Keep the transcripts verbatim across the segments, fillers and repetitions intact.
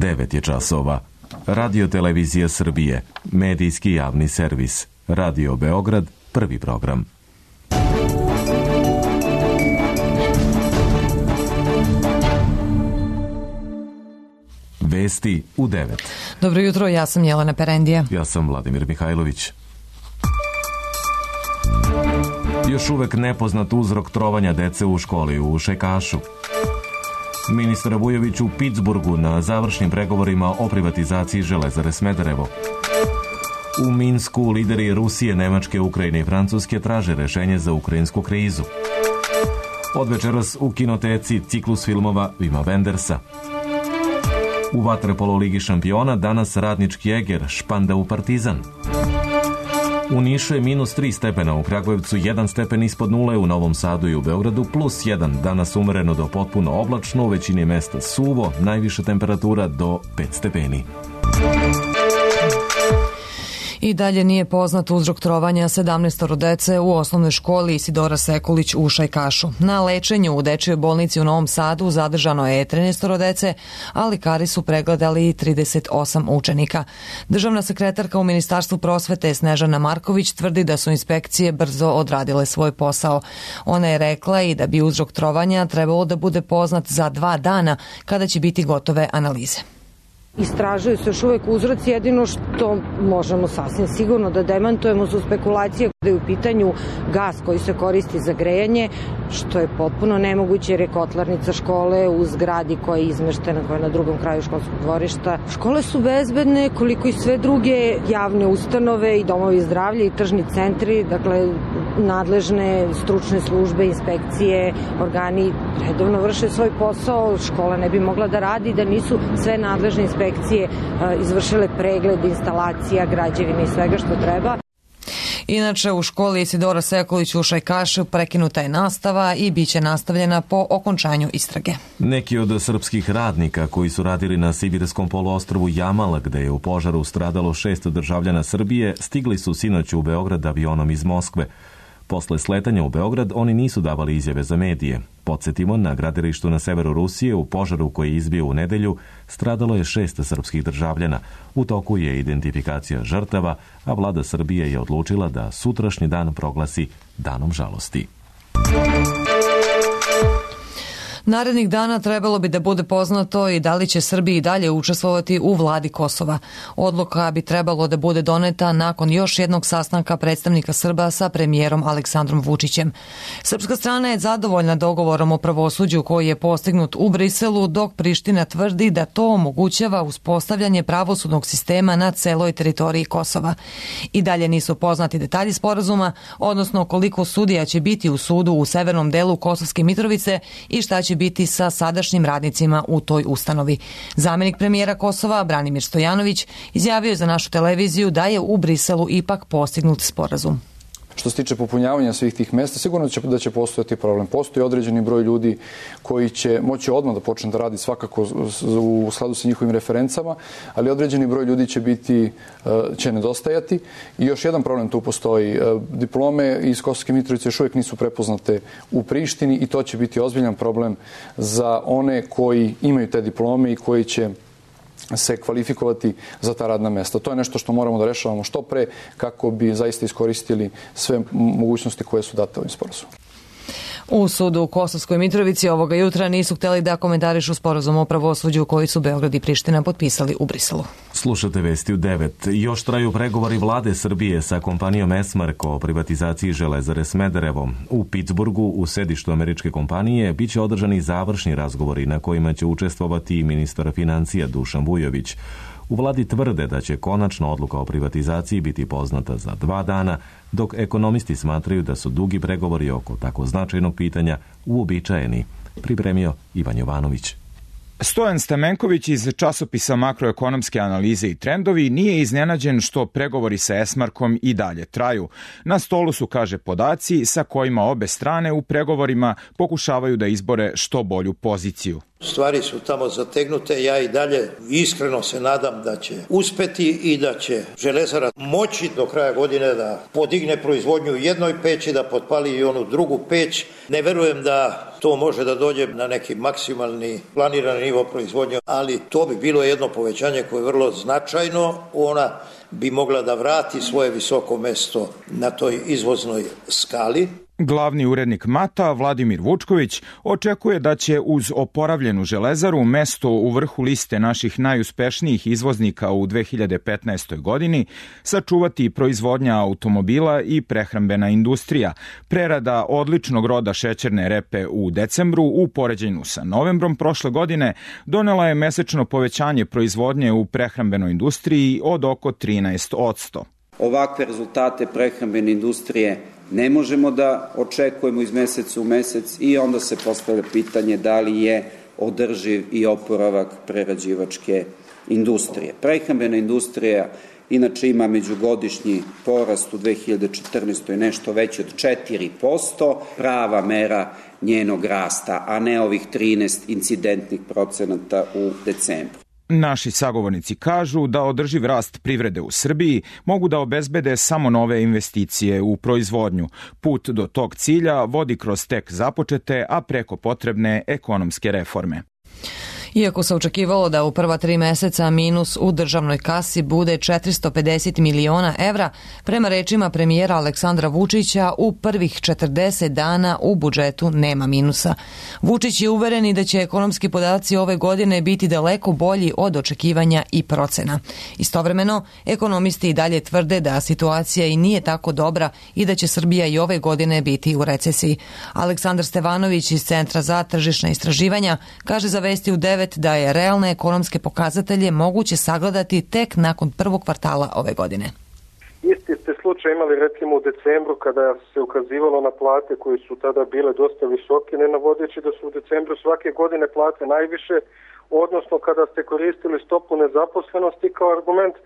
devet je časova. Radio Televizija Srbije, medijski javni servis. Radio Beograd, prvi program. Vesti u devet. Dobro jutro, ja sam Jelena Perendija. Ja sam Vladimir Mihajlović. Još uvek nepoznat uzrok trovanja dece u školi u Šajkašu. Ministar Vujović u Pitsburgu na završnim pregovorima o privatizaciji Železare Smederevo. U Minsku lideri Rusije, Nemačke, Ukrajine i Francuske traže rešenje za ukrajinsku krizu. Od večeras u kinoteci ciklus filmova Vima Wendersa. U vaterpolo Ligi šampiona danas Radnički Eger španda u Partizan. U Nišu je minus tri stepena, u Kragujevcu jedan stepen ispod nule, u Novom Sadu i u Beogradu plus jedan. Danas umereno do potpuno oblačno, u većini mesta suvo, najviša temperatura do pet stepeni. I dalje nije poznat uzrok trovanja sedamnaestoro dece u osnovnoj školi Isidora Sekulić u Šajkašu. Na lečenju u dečijoj bolnici u Novom Sadu zadržano je trinaestoro dece, a lekari su pregledali trideset osam učenika. Državna sekretarka u Ministarstvu prosvete Snežana Marković tvrdi da su inspekcije brzo odradile svoj posao. Ona je rekla i da bi uzrok trovanja trebalo da bude poznat za dva dana kada će biti gotove analize. Istražuju se još uvek uzroci, jedino što možemo sasvim sigurno da demantujemo su spekulacije da je u pitanju gas koji se koristi za grejanje, što je potpuno nemoguće jer je kotlarnica škole u zgradi koja je izmeštena, koja je na drugom kraju školskog dvorišta. Škole su bezbedne koliko i sve druge javne ustanove i domovi zdravlja i tržni centri, dakle nadležne stručne službe, inspekcije, organi redovno vrše svoj posao, škola ne bi mogla da radi da nisu sve nadležne inspekcije izvršile pregled instalacija, građevina i svega što treba. Inače, u školi Isidora Sekulić u Šajkašu prekinuta je nastava i bit će nastavljena po okončanju istrage. Neki od srpskih radnika koji su radili na sibirskom poluostrvu Jamal, gde je u požaru stradalo šest državljana Srbije, stigli su sinoć u Beograd avionom iz Moskve. Posle sletanja u Beograd oni nisu davali izjave za medije. Podsjetimo, na gradilištu na severu Rusije u požaru koji je izbio u nedelju stradalo je šest srpskih državljana. U toku je identifikacija žrtava, a vlada Srbije je odlučila da sutrašnji dan proglasi danom žalosti. Narednih dana trebalo bi da bude poznato i da li će Srbiji dalje učestvovati u vladi Kosova. Odluka bi trebalo da bude doneta nakon još jednog sastanka predstavnika Srba sa premijerom Aleksandrom Vučićem. Srpska strana je zadovoljna dogovorom o pravosuđu koji je postignut u Briselu, dok Priština tvrdi da to omogućava uspostavljanje pravosudnog sistema na celoj teritoriji Kosova. I dalje nisu poznati detalji sporazuma, odnosno koliko sudija će biti u sudu u severnom delu Kosovske Mitrovice i šta će biti sa sadašnjim radnicima u toj ustanovi. Zamenik premijera Kosova, Branimir Stojanović, izjavio je za našu televiziju da je u Briselu ipak postignut sporazum. Što se tiče popunjavanja svih tih mesta, sigurno će, da će postojati problem. Postoji određeni broj ljudi koji će moći odmah da počne da radi svakako u skladu sa njihovim referencama, ali određeni broj ljudi će biti, će nedostajati. I još jedan problem tu postoji. Diplome iz Kosovske Mitrovice još uvijek nisu prepoznate u Prištini i to će biti ozbiljan problem za one koji imaju te diplome i koji će se kvalifikovati za ta radna mesta. To je nešto što moramo da rešavamo što pre kako bi zaista iskoristili sve mogućnosti koje su date ovim sporazumom. U sudu u Kosovskoj Mitrovici ovoga jutra nisu hteli da komentarišu sporazum o pravosuđu koji su Beograd i Priština potpisali u Briselu. Slušate vesti u devet. Još traju pregovori vlade Srbije sa kompanijom Esmark o privatizaciji Železare Smederevo. U Pitsburgu, u sedištu američke kompanije, bit će održani završni razgovori na kojima će učestvovati i ministar financija Dušan Vujović. U vladi tvrde da će konačna odluka o privatizaciji biti poznata za dva dana, dok ekonomisti smatraju da su dugi pregovori oko tako značajnog pitanja uobičajeni. Pripremio Ivan Jovanović. Stojan Stamenković iz časopisa Makroekonomske analize i trendovi nije iznenađen što pregovori sa Esmarkom i dalje traju. Na stolu su, kaže, podaci sa kojima obe strane u pregovorima pokušavaju da izbore što bolju poziciju. Stvari su tamo zategnute, ja i dalje iskreno se nadam da će uspeti i da će Železara moći do kraja godine da podigne proizvodnju u jednoj peći, da potpali i onu drugu peć. Ne verujem da to može da dođe na neki maksimalni planirani nivo proizvodnje, ali to bi bilo jedno povećanje koje je vrlo značajno. Ona bi mogla da vrati svoje visoko mesto na toj izvoznoj skali. Glavni urednik Mata, Vladimir Vučković, očekuje da će uz oporavljenu Železaru mesto u vrhu liste naših najuspešnijih izvoznika u dve hiljade petnaestoj. godini sačuvati proizvodnja automobila i prehrambena industrija. Prerada odličnog roda šećerne repe u decembru u poređenju sa novembrom prošle godine donela je mesečno povećanje proizvodnje u prehrambenoj industriji od oko trinaest posto. Ovakve rezultate prehrambene industrije ne možemo da očekujemo iz meseca u mesec i onda se postavlja pitanje da li je održiv i oporavak prerađivačke industrije. Prehrambena industrija inače ima međugodišnji porast u dve hiljade četrnaestoj. nešto veći od četiri posto, prava mera njenog rasta, a ne ovih trinaest incidentnih procenata u decembru. Naši sagovornici kažu da održiv rast privrede u Srbiji mogu da obezbede samo nove investicije u proizvodnju. Put do tog cilja vodi kroz tek započete, a preko potrebne ekonomske reforme. Iako se očekivalo da u prva tri meseca minus u državnoj kasi bude četiristo pedeset miliona evra, prema rečima premijera Aleksandra Vučića, u prvih četrdeset dana u budžetu nema minusa. Vučić je uveren i da će ekonomski podaci ove godine biti daleko bolji od očekivanja i procena. Istovremeno, ekonomisti i dalje tvrde da situacija i nije tako dobra i da će Srbija i ove godine biti u recesiji. Aleksandar Stevanović iz Centra za tržišna istraživanja kaže za Vesti u devet da je realne ekonomske pokazatelje moguće sagledati tek nakon prvog kvartala ove godine. Isti ste slučaj imali recimo u decembru kada se ukazivalo na plate koje su tada bile dosta visoke, ne navodeći da su u decembru svake godine plate najviše, odnosno kada ste koristili stopu nezaposlenosti kao argument,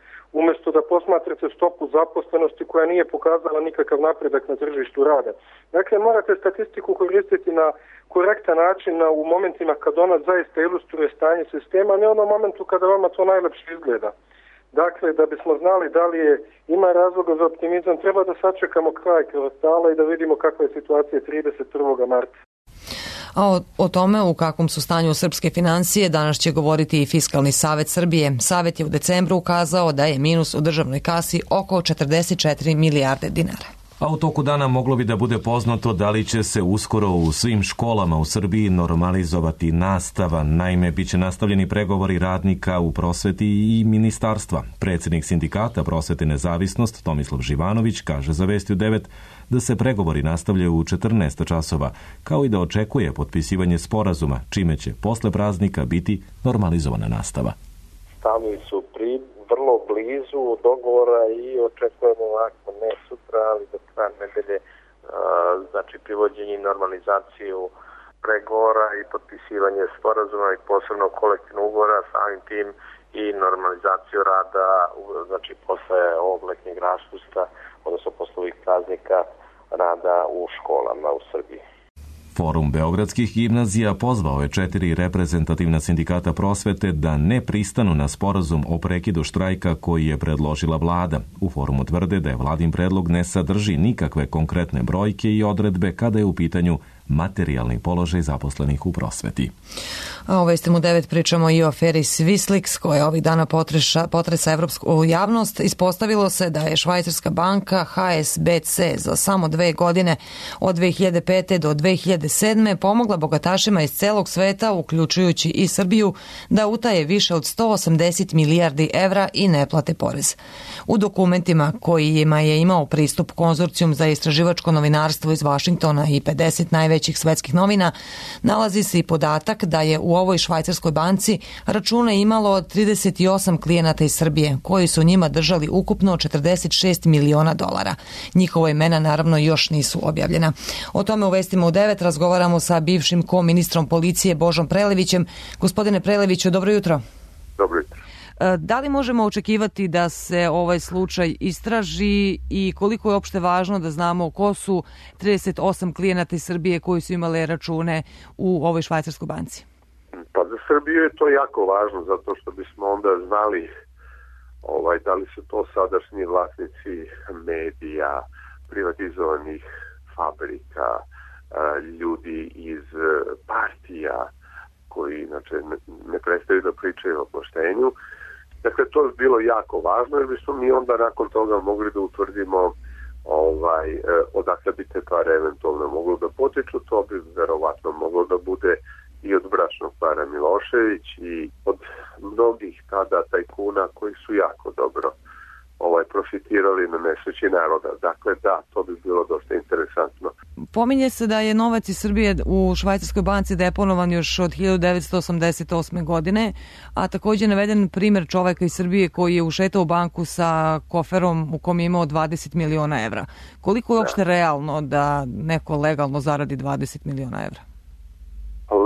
umjesto da posmatrate stopu zaposlenosti koja nije pokazala nikakav napredak na tržištu rada. Dakle, morate statistiku koristiti na korektan način u momentima kad ona zaista ilustruje stanje sistema, a ne onom momentu kada vama to najlepše izgleda. Dakle, da bismo znali da li je, ima razloga za optimizam, treba da sačekamo kraj kvartala i da vidimo kakva je situacija trideset prvog marta. A o, o tome u kakvom su stanju srpske financije danas će govoriti i Fiskalni savet Srbije. Savet je u decembru ukazao da je minus u državnoj kasi oko četrdeset četiri milijarde dinara. A u toku dana moglo bi da bude poznato da li će se uskoro u svim školama u Srbiji normalizovati nastava. Naime, bit će nastavljeni pregovori radnika u prosveti i ministarstva. Predsjednik sindikata Prosvete Nezavisnost Tomislav Živanović kaže za Vesti u devet da se pregovori nastavljaju u četrnaest časova, kao i da očekuje potpisivanje sporazuma, čime će posle praznika biti normalizovana nastava. Stanovi su pri vrlo blizu dogovora i očekujemo ovako ne sutra, ali do kraja nedelje, znači privođenje i normalizaciju pregovora i potpisivanje sporazuma i posebno kolektivnog ugovora, samim tim i normalizaciju rada, znači posle ovog letnjeg raspusta, odnosno posle ovih praznika rada u školama u Srbiji. Forum beogradskih gimnazija pozvao je četiri reprezentativna sindikata prosvete da ne pristanu na sporazum o prekidu štrajka koji je predložila vlada. U forumu tvrde da je vladin predlog ne sadrži nikakve konkretne brojke i odredbe kada je u pitanju materijalni položaj zaposlenih u prosveti. A u Vesti u devet pričamo i o aferi Swisslix koja ovih dana potreša, potresa evropsku javnost. Ispostavilo se da je švajcarska banka H S B C za samo dve godine od dve hiljade pete do dve hiljade sedme pomogla bogatašima iz celog sveta, uključujući i Srbiju, da utaje više od sto osamdeset milijardi evra i ne plate porez. U dokumentima kojima je imao pristup Konzorcijum za istraživačko novinarstvo iz Vašingtona i pedeset najvećih svetskih novina, nalazi se i podatak da je u ovoj švajcarskoj banci račune imalo trideset osam klijenata iz Srbije, koji su njima držali ukupno četrdeset šest miliona dolara. Njihova imena naravno još nisu objavljena. O tome u Vestima u devet razgovaramo sa bivšim ko-ministrom policije Božom Prelevićem. Gospodine Preleviću, dobro jutro. Dobro jutro. Da li možemo očekivati da se ovaj slučaj istraži i koliko je opšte važno da znamo ko su trideset osam klijenata iz Srbije koji su imale račune u ovoj švajcarskoj banci? Pa Srbiju je to jako važno zato što bismo onda znali ovaj, da li su to sadašnji vlasnici medija, privatizovanih fabrika, ljudi iz partija koji inače ne prestaju da pričaju o poštenju. Dakle, to je bilo jako važno jer bismo mi onda nakon toga mogli da utvrdimo ovaj, odakle bi te pare eventualno moglo da potiču. To bi verovatno moglo da bude i od bračnog para Milošević i od mnogih tada tajkuna koji su jako dobro ovaj, profitirali na nesreći naroda. Dakle, da, to bi bilo dosta interesantno. Pominje se da je novac iz Srbije u švajcarskoj banci deponovan još od hiljadu devetsto osamdeset osme. godine, a takođe naveden primer čoveka iz Srbije koji je ušetao u banku sa koferom u kom je imao dvadeset miliona evra. Koliko je uopšte da. realno da neko legalno zaradi dvadeset miliona evra?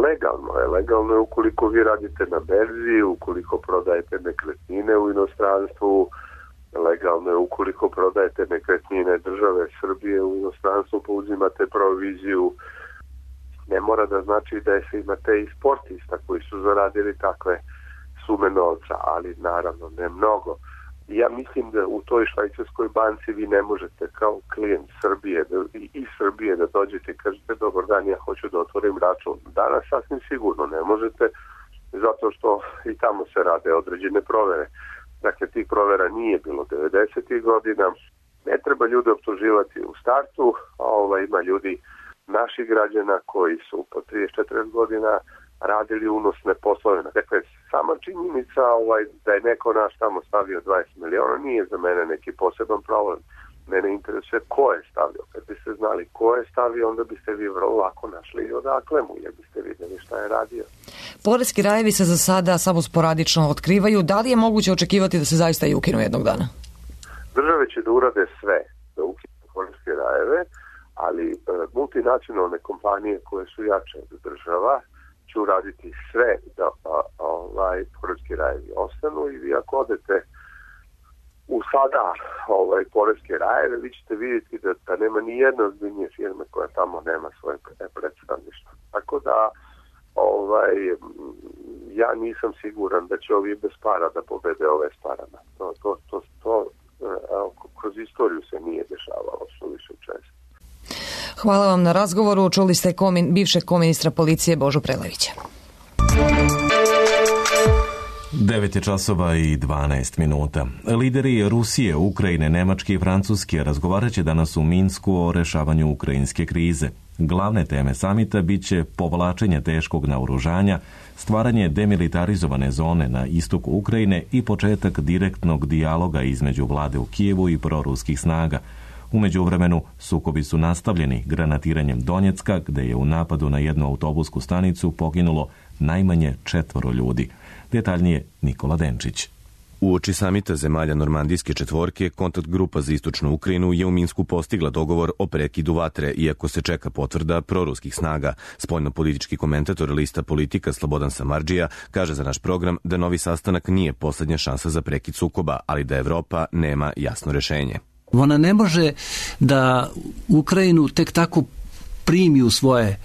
Legalno je. Legalno je ukoliko vi radite na berzi, ukoliko prodajete nekretnine u inostranstvu, legalno je ukoliko prodajete nekretnine države Srbije u inostranstvu, pa uzimate proviziju. Ne mora da znači da se imate i sportista koji su zaradili takve sume novca, ali naravno ne mnogo. Ja mislim da u toj švajcarskoj banci vi ne možete kao klijent Srbije da, i, i Srbije da dođete i kažete dobar dan, ja hoću da otvorim račun. Danas sasvim sigurno ne možete, zato što i tamo se rade određene provere. Dakle, tih provera nije bilo devedesetih godina. Ne treba ljude optuživati u startu, a ovaj, ima ljudi, naših građana koji su po trideset četrdeset godina radili unosne poslove. Dakle, sama činjenica ovaj, da je neko naš tamo stavio dvadeset miliona nije za mene neki poseban problem. Mene interesuje ko je stavio. Kad biste znali ko je stavio, onda biste vi vrlo lako našli odakle mu, jer biste vidjeli šta je radio. Poreski rajevi se za sada samo sporadično otkrivaju. Da li je moguće očekivati da se zaista i ukinu jednog dana? Države će da urade sve da ukinu poreske rajeve, ali e, multinacionalne kompanije koje su jače od država će uraditi sve da a, ovaj, poreski rajevi ostanu i vi ako odete u sada ovaj, poreske rajeve, vi ćete vidjeti da, da nema ni jedna ozbiljnije firme koja tamo nema svoje predstavništvo. Tako da ovaj, ja nisam siguran da će ovi bez para da pobede ove s parama. To, to, to, to kroz istoriju se nije dešavalo suviše često. Hvala vam na razgovoru. Čuli ste komin, bivšeg koministra policije Božu Prelevića. devet je časova i dvanaest minuta. Lideri Rusije, Ukrajine, Nemačke i Francuske razgovarat će danas u Minsku o rešavanju ukrajinske krize. Glavne teme samita biće povlačenje teškog naoružanja, stvaranje demilitarizovane zone na istoku Ukrajine i početak direktnog dijaloga između vlade u Kijevu i proruskih snaga. U međuvremenu, sukobi su nastavljeni granatiranjem Donjecka, gde je u napadu na jednu autobusku stanicu poginulo najmanje četvoro ljudi. Detaljnije Nikola Denčić. Uoči samita zemalja Normandijske četvorke, kontakt grupa za istočnu Ukrajinu je u Minsku postigla dogovor o prekidu vatre, iako se čeka potvrda proruskih snaga. Spoljno-politički komentator lista Politika Slobodan Samardžija kaže za naš program da novi sastanak nije poslednja šansa za prekid sukoba, ali da Evropa nema jasno rešenje. Ona ne može da Ukrajinu tek tako primi u svoje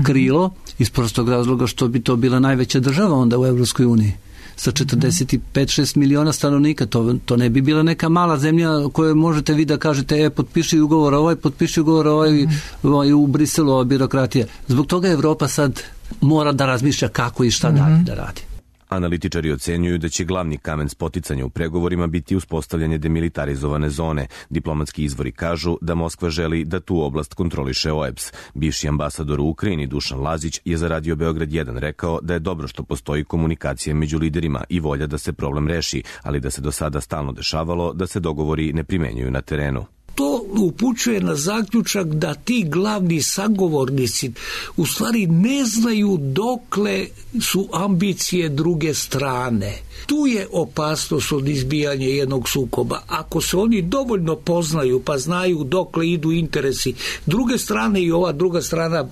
krilo, iz prostog razloga što bi to bila najveća država onda u Evropskoj uniji sa četrdeset pet šest miliona stanovnika. To, to ne bi bila neka mala zemlja koju možete vi da kažete e, potpiši ugovor ovaj, potpiši ugovor ovaj, ovaj u Briselu, ova birokratija. Zbog toga Evropa sad mora da razmišlja kako i šta dalje da radi. Analitičari ocenjuju da će glavni kamen spoticanja u pregovorima biti uspostavljanje demilitarizovane zone. Diplomatski izvori kažu da Moskva želi da tu oblast kontroliše O E B S. Bivši ambasador u Ukrajini Dušan Lazić je za Radio Beograd jedan rekao da je dobro što postoji komunikacija među liderima i volja da se problem reši, ali da se do sada stalno dešavalo da se dogovori ne primenjuju na terenu. To upućuje na zaključak da ti glavni sagovornici u stvari ne znaju dokle su ambicije druge strane. Tu je opasnost od izbijanja jednog sukoba. Ako se oni dovoljno poznaju pa znaju dokle idu interesi druge strane i ova druga strana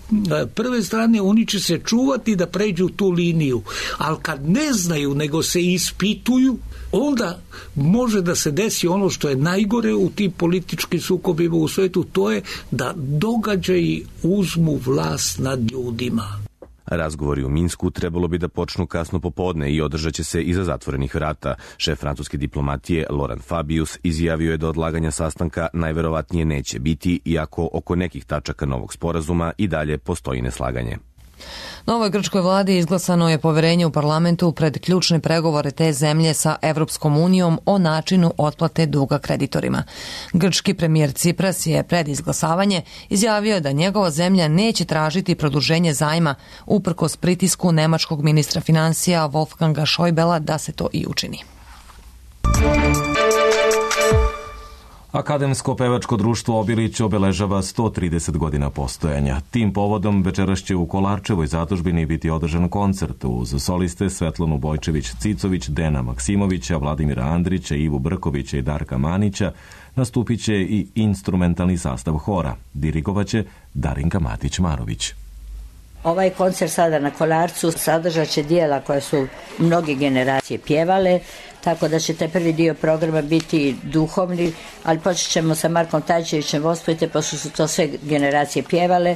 prve strane, oni će se čuvati da pređu tu liniju. Ali kad ne znaju nego se ispituju, onda može da se desi ono što je najgore u tim političkim sukobima u svetu, to je da događaji uzmu vlast nad ljudima. Razgovori u Minsku trebalo bi da počnu kasno popodne i održat će se iza zatvorenih vrata. Šef francuske diplomatije Laurent Fabius izjavio je da odlaganja sastanka najverovatnije neće biti, iako oko nekih tačaka novog sporazuma i dalje postoji neslaganje. Novoj grčkoj vladi izglasano je poverenje u parlamentu pred ključne pregovore te zemlje sa Evropskom unijom o načinu otplate duga kreditorima. Grčki premijer Cipras je pred izglasavanje izjavio da njegova zemlja neće tražiti produženje zajma uprkos pritisku nemačkog ministra financija Wolfganga Schäublea da se to i učini. Akademsko pevačko društvo Obilić obeležava sto trideset godina postojanja. Tim povodom večeras će u Kolarčevoj zadužbini biti održan koncert uz soliste Svetlanu Bojčević-Cicović, Dena Maksimovića, Vladimira Andrića, Ivu Brkovića i Darka Manića. Nastupit će i instrumentalni sastav hora. Dirigovaće Darinka Matić-Marović. Ovaj koncert sada na Kolarcu sadržat će dijela koje su mnoge generacije pjevale, tako da će taj prvi dio programa biti duhovni, ali počet ćemo sa Markom Tajčevićem Vospojte, pošto su to sve generacije pjevale.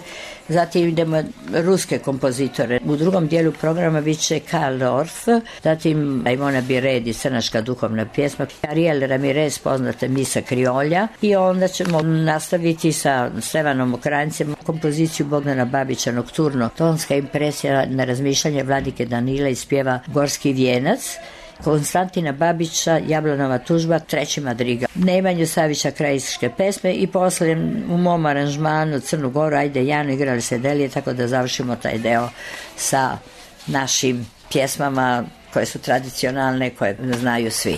Zatim idemo ruske kompozitore. U drugom dijelu programa bit će Karl Orff, zatim Ivona Biredi, crnačka duhovna pjesma, Ariel Ramirez, poznate Misa Kriolja, i onda ćemo nastaviti sa Stevanom Okranjcem kompoziciju Bogdana Babića Nokturno. Tonska impresija na razmišljanje Vladike Danila iz pjeva Gorski vijenac, Konstantina Babića Jablanova tužba, treći madriga, Nemanju Savića krajiške pesme i posle u mom aranžmanu Crnu Goru, ajde Janu, igrali se Delije, tako da završimo taj deo sa našim pjesmama koje su tradicionalne, koje znaju svi.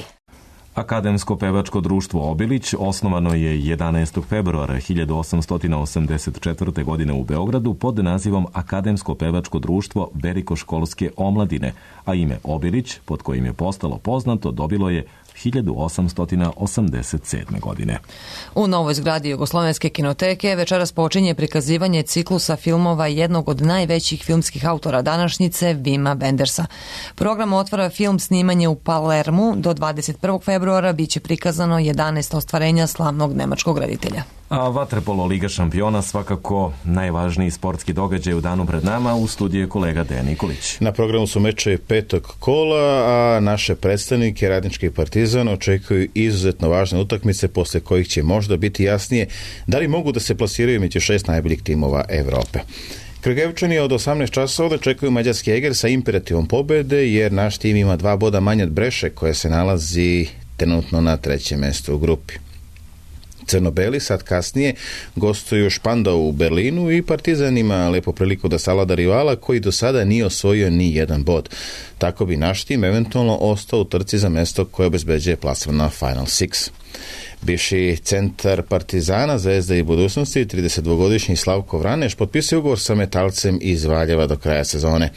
Akademsko pevačko društvo Obilić osnovano je jedanaestog februara hiljadu osamsto osamdeset četvrte. godine u Beogradu pod nazivom Akademsko pevačko društvo Berikoškolske omladine, a ime Obilić, pod kojim je postalo poznato, dobilo je hiljadu osamsto osamdeset sedme. godine. U novoj zgradi Jugoslovenske kinoteke večeras počinje prikazivanje ciklusa filmova jednog od najvećih filmskih autora današnjice, Vima Wendersa. Program otvara film snimanje u Palermu. Do dvadeset prvog februara biće prikazano jedanaest ostvarenja slavnog nemačkog reditelja. A vaterpolo Liga šampiona svakako najvažniji sportski događaj u danu pred nama. U studiju je kolega Dejan Nikolić. Na programu su meče petog kola, a naše predstavnike Radnički i Partizan očekuju izuzetno važne utakmice posle kojih će možda biti jasnije da li mogu da se plasiraju među šest najboljih timova Evrope. Kragujevčani od osamnaest časova očekuju mađarski Eger sa imperativom pobede, jer naš tim ima dva boda manje od Breše, koja se nalazi trenutno na trećem mestu u grupi. Crno-beli sad kasnije gostuju Špandau u Berlinu i Partizan ima lepo priliku da savlada rivala koji do sada nije osvojio ni jedan bod. Tako bi naš tim eventualno ostao u trci za mesto koje obezbeđuje plasman na Final Six. Bivši centar Partizana, Zvezda i budućnosti, tridesetdvogodišnji Slavko Vraneš, potpisuje ugovor sa metalcem iz Valjeva do kraja sezone.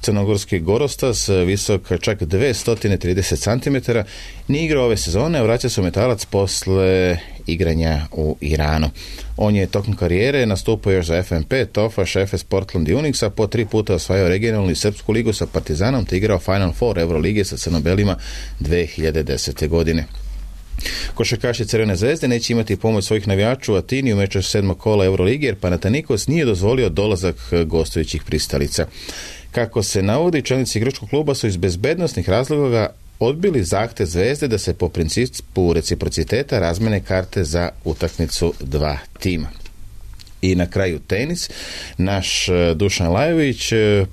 Crnogorski Gorostas, visok čak dvesta trideset centimetara, nije igrao ove sezone, a vraća se u metalac posle igranja u Iranu. On je tokom karijere nastupao još za F M P, Tofaš, Efes, Portland i Unixa, po tri puta osvajao regionalnu i srpsku ligu sa Partizanom, te igrao Final Four Eurolige sa crnobelima dve hiljade desete. godine. Košarkaši Crvene zvezde neće imati pomoć svojih navijača u Atini u meču sedmog kola Eurolige, jer Panathinaikos nije dozvolio dolazak gostujućih pristalica. Kako se navodi, čelnici grčkog kluba su iz bezbednosnih razloga odbili zahtev Zvezde da se po principu reciprociteta razmene karte za utakmicu dva tima. I na kraju tenis. Naš Dušan Lajović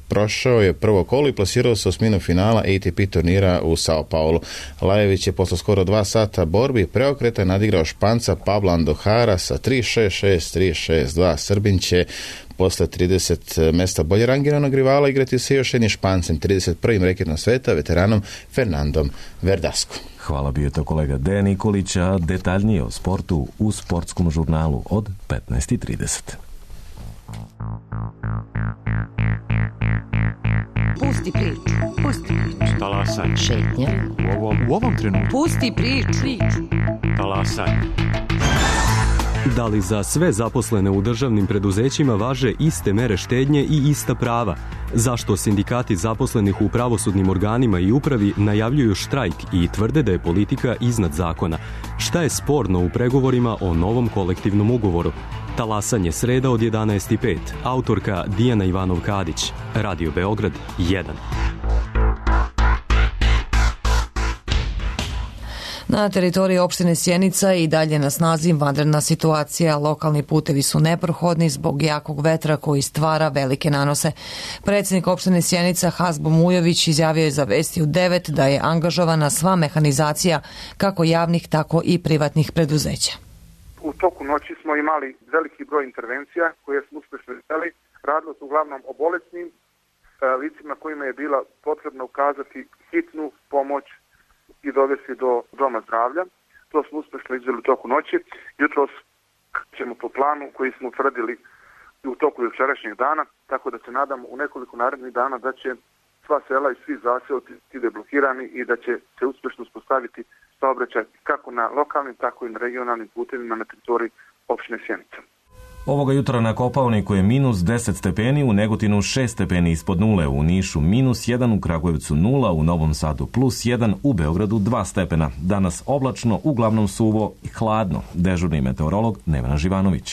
prošao je prvo kolo i plasirao se u osminu finala A T P turnira u Sao Paulo. Lajović je posle skoro dva sata borbi preokreta nadigrao Španca Pabla Andohara sa tri šest šest, tri šest dva. Srbin će posle trideset mesta bolje rangiranog rivala igrati se još jednim Špancem, trideset prvim reketom sveta, veteranom Fernandom Verdasco. Hvala, bio je to kolega Dejan Nikolić, a detaljnije o sportu u sportskom žurnalu od petnaest i trideset. Pusti priču, pusti priču. Talasaj. Šetnja. U ovom, u ovom trenutku. Pusti priču. Talasaj. Da li za sve zaposlene u državnim preduzećima važe iste mere štednje i ista prava? Zašto sindikati zaposlenih u pravosudnim organima i upravi najavljuju štrajk i tvrde da je politika iznad zakona? Šta je sporno u pregovorima o novom kolektivnom ugovoru? Talasanje sreda od jedanaest i pet. Autorka Dijana Ivanov-Kadić. Radio Beograd jedan. Na teritoriji opštine Sjenica i dalje na snazi vanredna situacija. Lokalni putevi su neprohodni zbog jakog vetra koji stvara velike nanose. Predsjednik opštine Sjenica Hasbo Mujović izjavio je za Vesti u devet da je angažovana sva mehanizacija kako javnih tako i privatnih preduzeća. U toku noći smo imali veliki broj intervencija koje smo uspešno izveli. Radilo se uglavnom o bolesnim licima kojima je bila potrebno ukazati hitnu pomoć i dovesti do doma zdravlja. To smo uspešno izveli u toku noći. Jutros ćemo po planu koji smo utvrdili u toku jučerašnjeg dana, tako da se nadamo u nekoliko narednih dana da će sva sela i svi zaseoci biti deblokirani i da će se uspešno uspostaviti saobraćaj kako na lokalnim, tako i na regionalnim putevima na teritoriji opštine Sjenica. Ovoga jutra na Kopaoniku je minus deset stepeni, u Negotinu šest stepeni ispod nule, u Nišu minus jedan, u Kragujevcu nula, u Novom Sadu plus jedan, u Beogradu dva stepena. Danas oblačno, uglavnom suvo i hladno. Dežurni meteorolog Nevena Živanović.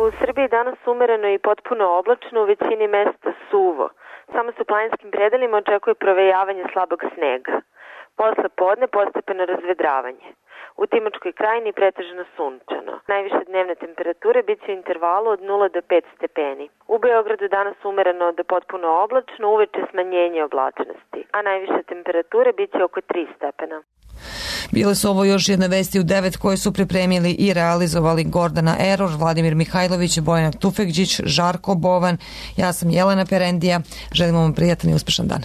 U Srbiji danas umereno i potpuno oblačno, u većini mesta suvo. Samo se u planinskim predelima očekuje provejavanje slabog snega. Posle podne postepeno razvedravanje. U Timočkoj krajini pretežno sunčano. Najviše dnevne temperature bit će u intervalu od nula do pet stepeni. U Beogradu danas umereno do potpuno oblačno, uveče smanjenje oblačnosti, a najviše temperature bit će oko tri stepena. Bile su ovo još jedne Vesti u devet koje su pripremili i realizovali Gordana Eror, Vladimir Mihajlović, Bojana Tufekđić, Žarko Bovan. Ja sam Jelena Perendija. Želimo vam prijatan i uspešan dan.